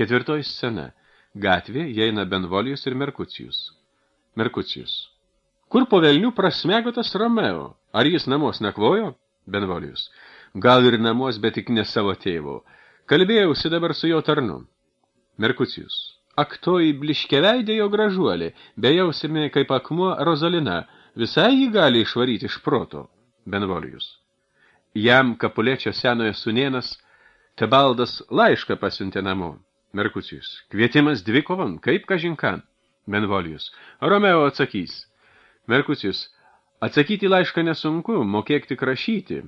4 scena. Gatvė įeina Benvolijus ir Merkucijus. Merkucijus. Kur po velnių prasmego tas Romeo? Ar jis namos nakvojo? Benvolijus. Gal ir namos, bet tik ne savo tėvo. Kalbėjausi dabar su jo tarnu. Merkucijus. Ak, toji bliškeveidė jo gražuolė, bejausime kaip akmuo Rozalina, visai jį gali išvaryti iš proto. Benvolijus. Jam Kapulečio senojo sūnėnas Tebaldas laišką pasiuntė namo. Merkucijus. Kvietimas dvikovan, kaip kažinkan. Benvolijus. Romeo atsakys. Merkucijus. Atsakyti laišką nesunku, mokėk tik rašyti.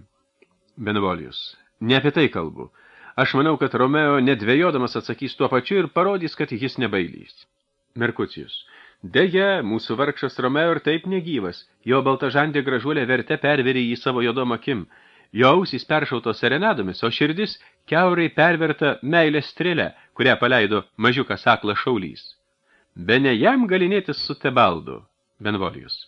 Benvolijus. Ne apie tai kalbu. Aš manau, kad Romeo nedvejodamas atsakys tuo pačiu ir parodys, kad jis nebailys. Merkucijus. Deja, mūsų vargšas Romeo ir taip negyvas. Jo baltažandė gražuolė verte perverė į savo jodom akim. Jo ausys peršautos serenadomis, o širdis kiaurai perverta meilės strėlę, kurią paleido mažiukas aklas šaulys. Bene jam galinėtis su Tebaldu. Benvolijus.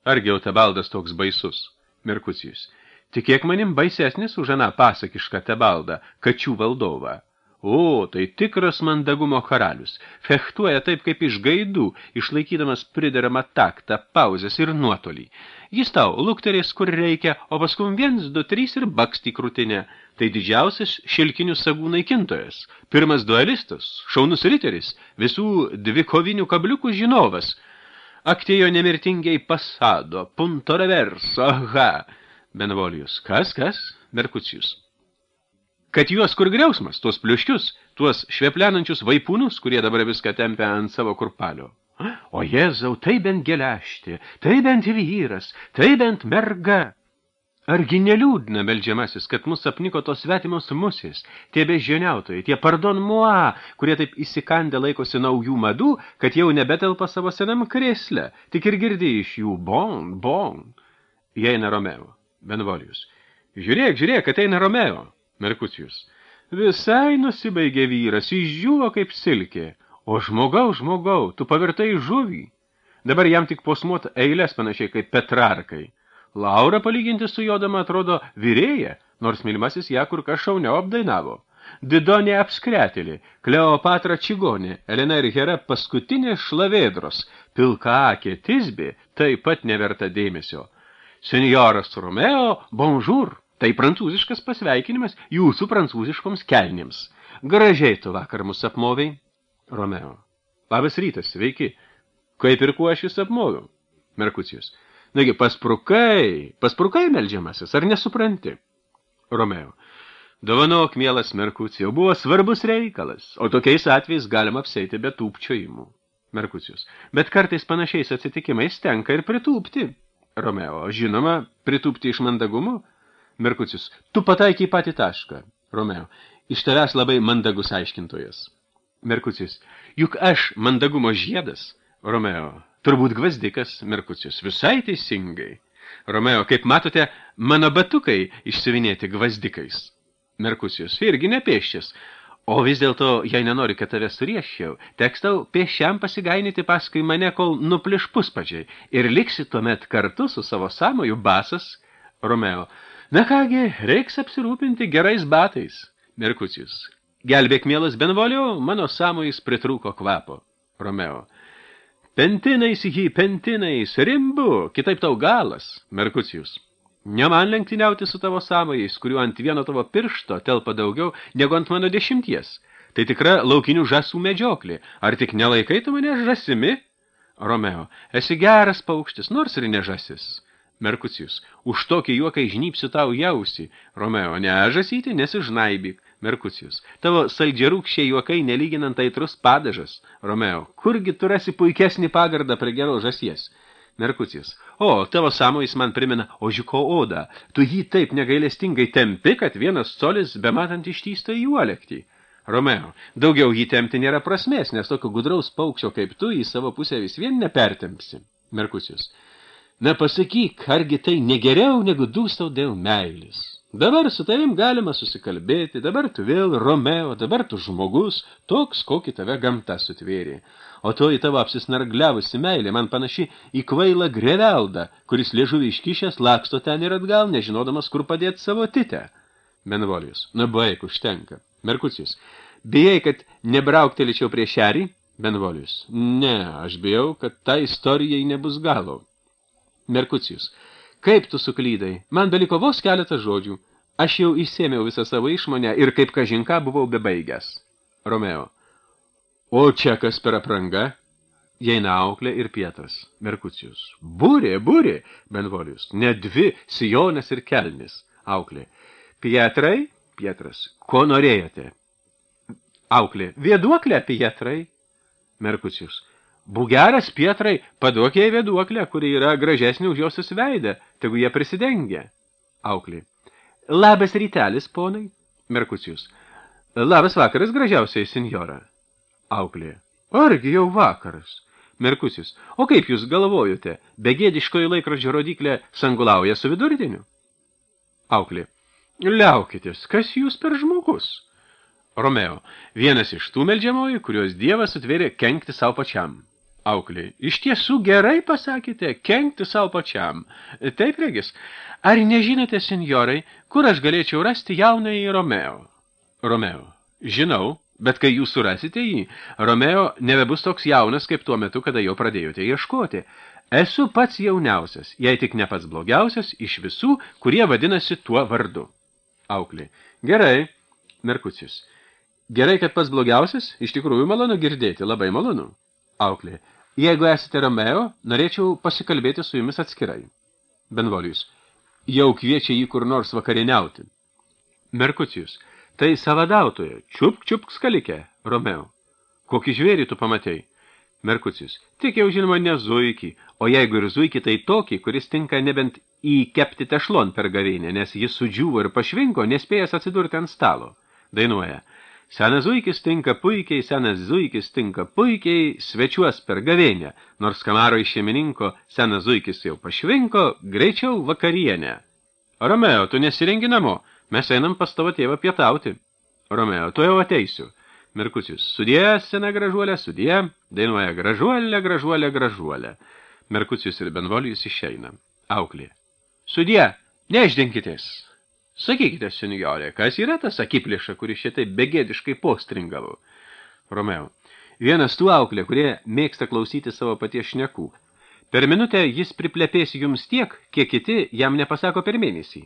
Argi jau Tebaldas toks baisus? Merkucijus. Tikėk manim baisesnis už aną pasakišką Tebaldą, kačių valdovą. O, tai tikras mandagumo karalius. Fechtuoja taip kaip iš gaidų, išlaikydamas prideramą taktą, pauzes ir nuotolį. Jis tau lukterės kur reikia, o paskum 1, 2, 3 ir bakst į krūtinę. Tai didžiausias šilkinių sagų naikintojas. Pirmas duelistas, šaunus riteris, visų dvikovinių kabliukų žinovas. Aktėjo nemirtingiai pasado, punto reverso, aha. Benvolijus. Kas? Merkucijus. Kad juos kur griausmas, tuos pliuškius, tuos šveplenančius vaipūnus, kurie dabar viską tempia ant savo kurpalio. O Jėzau, tai bent gelešti, tai bent vyras, tai bent merga. Argi neliūdna, meldžiamasis, kad mus apniko tos svetimos musės, tie beždžioniautojai, tie pardon moi, kurie taip įsikandę laikosi naujų madų, kad jau nebetelpa savo senam krėsle, tik ir girdi iš jų bon. Įeina Romeo. Benvolijus. Žiūrėk, ateina Romeo. Merkucijus. Visai nusibaigė vyras, išdžiuvo kaip silkė. O žmogau, tu pavirtai žuvį. Dabar jam tik posmuot eilės panašiai kaip Petrarkai. Laura palyginti su jodama atrodo vyrėja, nors mylimasis ją kur kas šauniau apdainavo. Didonė apskretėlė, Kleopatra čigonė, Elena ir Hera paskutinė šlavėdros, pilkaakė Tisbė taip pat neverta dėmesio. Senjoras Romeo, bonjour, tai prancūziškas pasveikinimas jūsų prancūziškoms kelnėms. Gražiai tu vakar mus apmovei. Romeo. Labas rytas, sveiki. Kaip ir kuo aš jūs apmoviau? Merkucijus. Nagi, pasprukai meldžiamasis, ar nesupranti? Romeo. Dovanok, mielas Merkucijau, buvo svarbus reikalas, o tokiais atvejais galima apseiti be tūpčiojimų. Merkucijus. Bet kartais panašiais atsitikimais tenka ir pritūpti. Romeo. Žinoma, pritūpti iš mandagumo? Merkucijus. Tu pataikiai patį tašką. Romeo. Iš tavęs labai mandagus aiškintojas. Merkucijus. Juk aš mandagumo žiedas. Romeo. Turbūt gvazdikas. Merkucijus. Visai teisingai. Romeo. Kaip matote, mano batukai išsivinėti gvazdikais. Merkucijus. Irgi nepėščias. O vis dėlto, jei nenori, kad tave surieščiau, teks tau pėsčiam pasigainyti paskui mane, kol nupliš puspadžiai, ir liksi tuomet kartu su savo sąmoju basas. Romeo. Na kągi, reiks apsirūpinti gerais batais. Merkucijus. Gelbėk, mielas Benvolio, mano sąmojais pritrūko kvapo. Romeo. Pentinais, rimbu, kitaip tau galas. Merkucijus. Ne man lenktyniauti su tavo sąmojais, kuriuo ant vieno tavo piršto telpa daugiau negu ant mano 10. Tai tikra laukinių žąsų medžioklė. Ar tik nelaikai tu mane žąsimi? Romeo. Esi geras paukštis, nors ir ne žąsis. Merkucijus. Už tokį juoką žnypsiu tau jausį. Romeo. Ne žąsyti, nesižnaibyk. Merkucijus. Tavo saldžiarūkščiai juokai nelyginant aitrus padažas. Romeo. Kurgi tu rasi puikesnį pagardą prie geros žąsies? Merkucijus. O, tavo sąmojis man primena ožiuko odą. Tu jį taip negailestingai tempi, kad 1 colis bematant ištįsta į uolektį. Romeo. Daugiau jį tempti nėra prasmės, nes tokio gudraus paukščio kaip tu į savo pusę vis vien nepertempsi. Merkucijus. Na pasakyk, argi tai negeriau negu dūstau dėl meilės. Dabar su tavim galima susikalbėti, dabar tu vėl Romeo, dabar tu žmogus, toks, kokį tave gamta sutvėrė. O to į tavo apsisnargliavusi meilė man panaši į kvailą greveldą, kuris liežuvį iškišęs laksto ten ir atgal, nežinodamas, kur padėti savo titę. Benvolijus. Na baik, užtenka. Merkucijus. Bijai, kad nebrauktelėčiau prie šerį? Benvolijus. Ne, aš bijau, kad ta istorijai nebus galo. Merkucijus. Kaip tu suklydai? Man beliko vos keletą žodžių. Aš jau išsėmiau visą savo išmonę ir kaip kažinką buvau bebaigęs. Romeo. O čia kas per apranga? Jaina auklė ir Pietras. Merkucijus. Būrė, Benvolijus. Ne dvi, sijonas ir kelnis. Auklė. Pietrai? Pietras. Ko norėjote? Auklė. Vėduoklę, Pietrai. Merkucijus. Būgeras, Pietrai, paduok jai vėduoklę, kuri yra gražesnė už josios veidą, tegu jie prisidengia. Auklė. Labas rytelis, ponai. Merkucijus. Labas vakaras, gražiausiai, senjora. Auklė. Argi jau vakaras. Merkucijus. O kaip jūs galvojote, begėdiškoji laikrodžio rodiklė sangulauja su vidurdieniu? Auklė. Liaukitės, kas jūs per žmogus? Romeo. Vienas iš tų meldžiamojų, kurios Dievas sutvėrė kenkti savo pačiam. Auklė. Iš tiesų gerai pasakėte, kenkti savo pačiam. Taip, regis. Ar nežinote, senjorai, kur aš galėčiau rasti jaunąjį Romeo? Romeo. Žinau, bet kai jūs surasite jį, Romeo nebebus toks jaunas, kaip tuo metu, kada jau pradėjote ieškoti. Esu pats jauniausias, jei tik ne pats blogiausias, iš visų, kurie vadinasi tuo vardu. Auklė. Gerai. Merkucijus. Gerai, kad pats blogiausias, iš tikrųjų malonu girdėti, labai malonu. Auklė. Jeigu esate Romeo, norėčiau pasikalbėti su jumis atskirai. Benvolijus. Jau kviečia jį kur nors vakarieniauti. Merkucijus. Tai savadautoje. Čiupk skalikė. Romeo. Kokį žvėrį tu pamatei? Merkucijus. Tik jau žinoma ne zuikį, o jeigu ir zuikį, tai tokį, kuris tinka nebent įkepti tešlon per gavėnę, nes jis sudžiūvo ir pašvinko, nespėjęs atsidurti ant stalo. Dainuoja. Senas zuikis tinka puikiai, svečiuos per gavėnę, nors kamaro iš šeimininko senas zuikis jau pašvinko, greičiau vakarienę. Romeo, tu nesirengi namo, mes einam pas tavo tėvą pietauti. Romeo, tu jau ateisiu. Merkucijus, sudie, sena gražuolė, sudie, dainuoja gražuolė. Merkucijus ir Benvolijus išeina. Auklė. Sudie, neišdinkitės. Sakykite, senjorė, kas yra tas akiplėša, kuris šitai begėdiškai postringavo? Romeo. Vienas tų auklė, kurie mėgsta klausyti savo paties šnekų. Per minutę jis priplepės jums tiek, kiek kiti jam nepasako per mėnesį.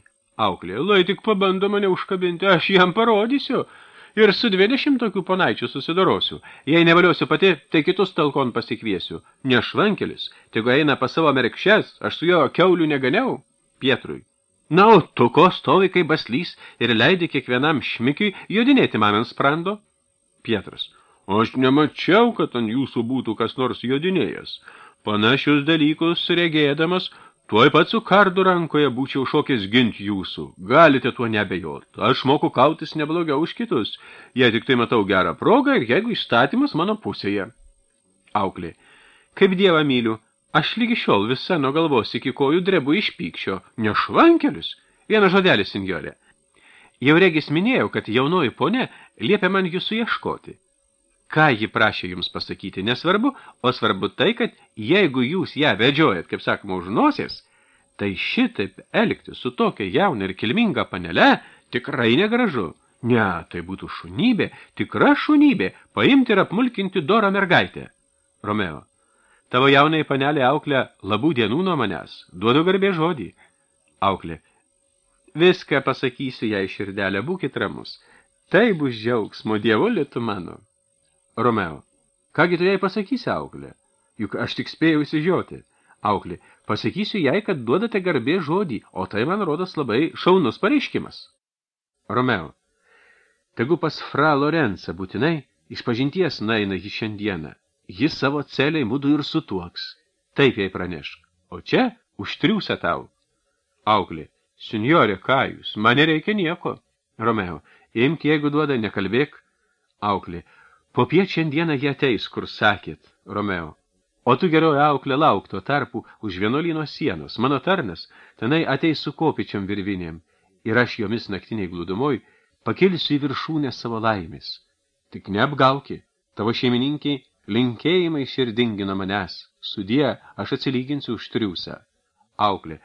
Auklė. Lai tik pabando mane užkabinti, aš jam parodysiu. Ir su 20 tokių ponaičių susidorosiu. Jei nevaliosiu pati, tai kitus talkon pasikviesiu. Nešvankelis, tegu eina pas savo merkšes, aš su jo kiaulių neganiau. Pietrui. Na, o tu ko stovi kaip baslys ir leidi kiekvienam šmikiui jodinėti man ant sprando? Pietras. Aš nemačiau, kad ant jūsų būtų kas nors jodinėjęs. Panašius dalykus regėdamas, tuoj pat su kardu rankoje būčiau šokęs ginti jūsų. Galite tuo nebejot. Aš moku kautis neblogiau už kitus. Jei tik tai matau gerą progą ir jeigu įstatymas mano pusėje. Auklė. Kaip Dievą myliu. Aš lygi šiol visa nuo galvos iki kojų drebu iš pykščio. Nešvankelis. Vieną žodelį, senjorė. Jau regis minėjau, kad jaunoji ponė liepė man jūsų ieškoti. Ką ji prašė jums pasakyti, nesvarbu, o svarbu tai, kad jeigu jūs ją vedžiojat, kaip sakoma, už nosies, tai šitaip elgti su tokia jauna ir kilminga panele tikrai negražu. Ne, tai būtų šunybė, tikra šunybė, paimti ir apmulkinti dorą mergaitę. Romeo. Tavo jaunai panelė auklė labų dienų nuo manęs. Duodu garbė žodį. Auklė. Viską pasakysiu jai širdelę, būkit ramus. Tai bus džiaugsmo, dievuli tu mano. Romeo. Kągi tu jai pasakysi, auklė? Juk aš tik spėjau įsižioti. Auklė. Pasakysiu jai, kad duodate garbė žodį, o tai man rodos labai šaunus pareiškimas. Romeo. Tegu pas fra Lorenza būtinai išpažinties naina jį šiandieną. Jis savo celiai mudu ir sutuoks. Taip jai pranešk. O čia užtriūsia tau. Auklė. Senjorė, ką jūs? Man nereikia nieko. Romeo. Imk, jeigu duoda, nekalbėk. Auklė. Popiet šiandieną jie ateis, kur sakėt. Romeo. O tu geroji auklė lauk tuo tarpu už vienuolyno sienos. Mano tarnas tenai ateis su kopičiam virvinėm. Ir aš jomis naktiniai glūdumoj pakilsiu į viršūnę savo laimės. Tik neapgauki. Tavo šeimininkiai linkėjimai širdingi nuo manęs. Sudie, aš atsilyginsiu už triūsą. Auklė.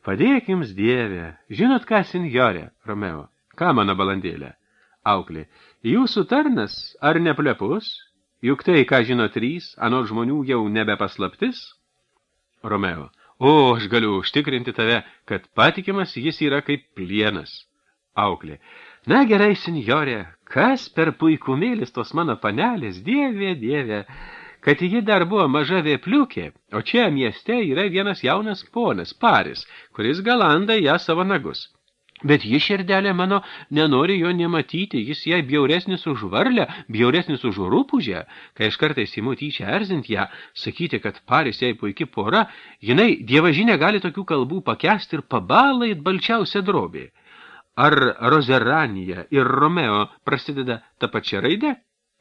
Padėk jums, Dieve. Žinot ką, senjorė? Romeo. Ką, mano balandėlė? Auklė. Jūsų tarnas ar neplepus? Juk tai, ką žino 3, anot žmonių jau nebepaslaptis? Romeo. O, aš galiu užtikrinti tave, kad patikimas jis yra kaip plienas. Auklė. Na gerai, senjorė, kas per puikumėlis tos mano panelės, dieve, dieve, kad ji dar buvo maža vėpliukė, o čia mieste yra vienas jaunas ponas, Paris, kuris galanda ją savo nagus. Bet ji, širdelė mano, nenori jo nematyti, jis jai bjauresnis už varlę, bjauresnis už rūpužę, kai aš kartais imu tyčia erzint ją, sakyti, kad Paris jai puiki pora, jinai dievažinė gali tokių kalbų pakęsti ir pabala it balčiausia drobė. Ar Rozeranija ir Romeo prasideda ta pačia raide?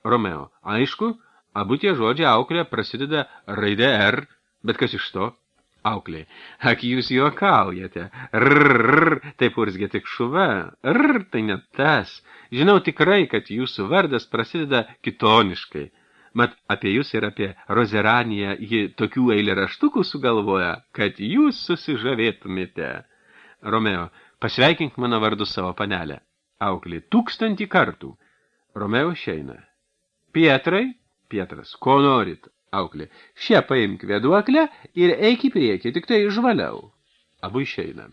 Romeo, aišku, abu tie žodžiai auklė prasideda raide R, bet kas iš to? Auklė, ak jūs juokaujate, taip urzgė tik šuva, tai ne tas, žinau tikrai, kad jūsų vardas prasideda kitoniškai, mat apie jūs ir apie Rozeraniją ji tokių eilėraštukų sugalvoja, kad jūs susižavėtumėte. Romeo, pasveikink mano vardu savo panelę. Auklė, 1000 kartų. Romeo išeina. Pietrai, Pietras, ko norit? Auklė, šią paimk vėduoklę ir eik į priekį, tik tai žvaliau. Abu išeina.